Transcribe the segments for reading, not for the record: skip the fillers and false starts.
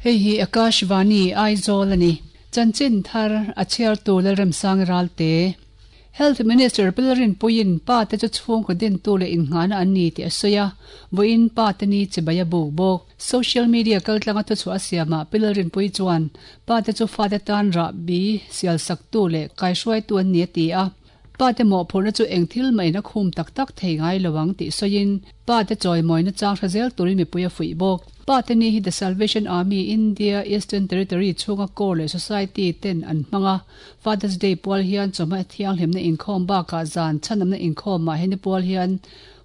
Hei hi Akashvani, Aizawl a ni. Chanchin thar a chhiartu Lalremsang Ralte. Health Minister Pilrin Puiin pa te chu chhungkaw dintu leh innghahna an ni tih a sawi a, vawiin pa te ni chibai a buk bawk. Social media kaltlanga thuchhuah a siamah Pilrin Pui chuan pa te chu fate tan rahbi sialsaktu leh kaihruaitu an ni a ti a. Pa te mawhphurhna chu eng thil mahin a khum tak tak thei ngai lo ang tih sawiin pa te chawimawina chang hre zel turin mipui a fuih bawk. Pa te ni hi The Salvation Army India Eastern Territory chhunga Corps leh Society ten an hmang a, Father's Day pual hian chawhma thianghlimna inkhawm bakah zan chhanamna inkhawmah heni pual hian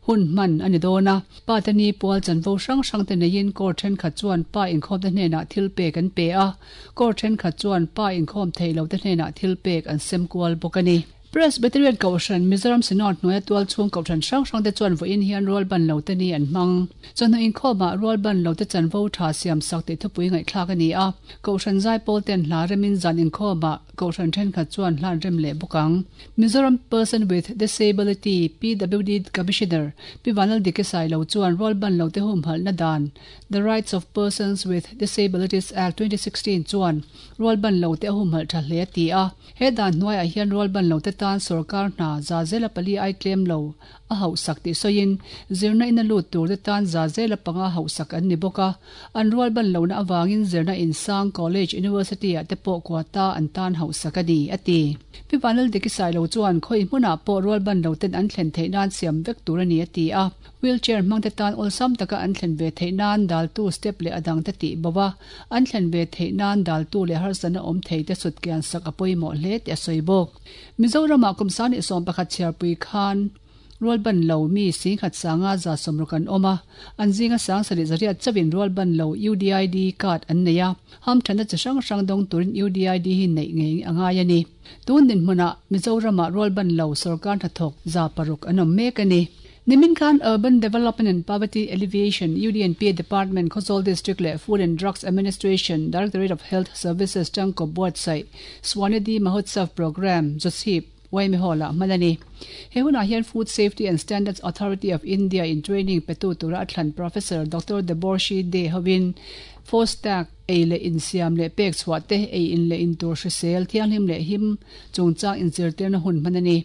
Hun hman a ni dawn a, pa te ni pual chanvo hrang hrang te neiin court thenkhat chuan pa inkhawm te hnenah thil pek an pe a, court thenkhat chuan pa inkhawm thei lo te hnenah thil pek an sem kual bawk a ni. Presbyterian Kohhran Mizoram Synod hnuaia tual chhung kohhran hrang hrang te chuan vawiin hian rualban lo te ni an hmang. Chawhnu inkhawmah rualban lo te chanvo tha siam sak tih thupui ngaihthlak a ni a, Kohhran zaipawl ten hla remin zan inkhawmah Kohhran thenkhat chuan hlan rem leh bawk ang. Mizoram Person with Disability, PWD, Commissioner, Pi Vanlal Dike Sailo chuan rualban lote humhalhna dan, The Rights of Persons with Disabilities Act 2016 chuan rualban lote a humhalh tha hle a ti a. He dan hnuaiah hian rualban lote tan sorkar hna za zela pali ai tlem lo a hauhsak tih sawiin, zirna ina lut turte tan za zela panga hauhsak an ni bawk a. An rualban lohna avangin zirna insang, college, university ah te pawh quota an tan hauhsak a ni, a ti. Pi Vanlaldiki Sailo chuan khawi hmunah pawh rualban loten an thlen theih nan siam vek tur a ni, a ti a. Wheelchair hmangte tan awlsam taka an thlen ve theih nan daltu step leh a dangte tih bo a, an thlen ve theih nan daltu leh harsatna awm theite sutkian sak a pawimawh hle tih a sawi bawk. Mizoramah kum 21 chhiarpui khan rualban lo mi singkhat sanga 160 an awm a, an zinga 73 chauhin rualban lo UDID card an nei a, hamthanna chi hrang hrang dawng turin UDID hi neih ngei a ngai a ni. Tun dinhmunah Mizoramah rualban lo sorkar hnathawk 600 an awm mek a ni. Nimin khan Urban Development and Poverty Alleviation, UDNPA, Department, Khawzawl District leh Food and Drugs Administration, Directorate of Health Services tangkawp buatsaih Swanidhi Mahotsav Programme, Zawchhip, Yma Hall-ah hman a ni. He hunah hian Food Safety and Standards Authority of India in training petu tura a thlan Professor Doctor Deborshi De hovin FoSTaC, Ei leh insiam leh pek chhuah te, ei in leh in tur hrisel, thianghlim leh him chungchang inzirtirna hun hman a ni.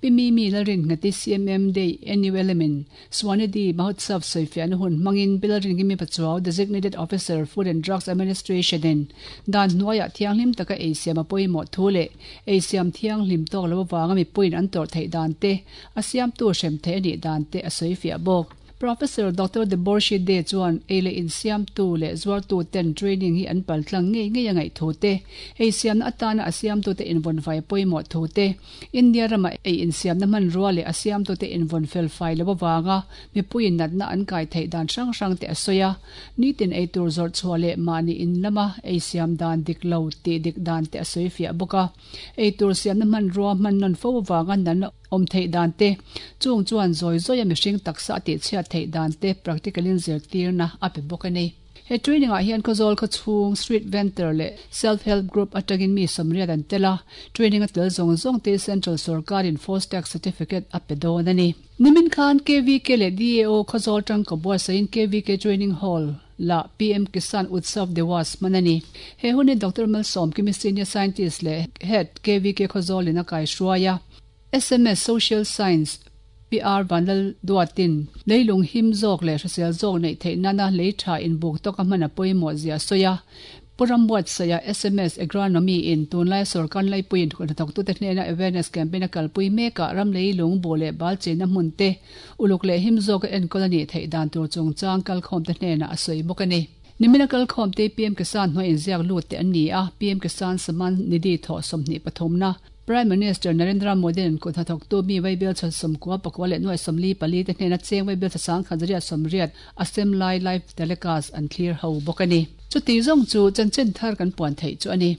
Pi Mimi Lalrinngati CMM Day NULM in Swanidhi Mahotsav sawifiahna hun hmangin Pi Lalrinkimi Pachuau Designated Officer Food and Drugs Administration in dan hnuaiah thianghlim taka ei siam a pawimawh thu leh ei siam thianghlim tawk lo avanga mipuiin an tawrh theih dan te, a siamtu hrem theih a nih dan te a sawifiah bawk. Professor Doctor Deborshi De chuan ei leh insiamtu leh zuartu ten training hi an pal tlang ngei ngei a ngaih thu te, ei siamna atana a siamtute invawn fai pawimawh thu te, India rama ei insiamna hmanrua leh a siamtute invawn fel fai lo avanga mipuiin natna an kai theih dan hrang hrang te a sawi a. Nitin ei tur zawrh chhuah leh mahni in lama ei siam dan dik lo tih dik dan te a sawi fiah bawk a. Ei tur siamna hmanrua hman nawn fo avanga natna Awm theih dan te, chung chuan zawi zawia mihring taksa a tihchhiat theih dan te practical in zirtirna a pe bawk a ni. He training ah hian Khawzawl khawchhung Street Vendor leh Self Help Group atangin mi 80 an tel a, training a tel zawng zawng te Central Sorkar in FoSTaC Certificate a pe dawn a ni. Nimin khan KVK leh DAO Khawzawl tangka buatsaihin KVK Training Hall la PM Kisan Utsav Diwas hman a ni. He hun hi Doctor Malsawmkimi Senior Scientist leh Head KVK Khawzawl in a kaihruai a. Sms Social Science PR Vanlal Duatin leilung him zawk leh hrisel zawk neih theih nana lei tha inbuk tawka hman a pawimawh zia a sawi a. Pu Rambuatsaia sms Agronomy in tunlaia sorkar laipuiin hnathawktute hnena awareness campaign a kalpui mekah ram leilung buh leh bal chenna hmun te uluk leh him zawka enkawl a nih theih dan tur chungchang kalkhawmte hnenah a sawi bawk a ni. Nimina kalkhawmte PM Kisan hnuai inziak lut te an ni a, PM Kisan Samman Nidhi thawh 23 na Prime Minister Narendra Modi-a'n kut hnathawktu mi Vaibel chhan 94 leh 44 te hnena cheng Vaibel chha 1180 a sem lai live telecast an thlir ho bawk a ni. Chuti zawng chu chanchin thar kan puan theih chu a ni.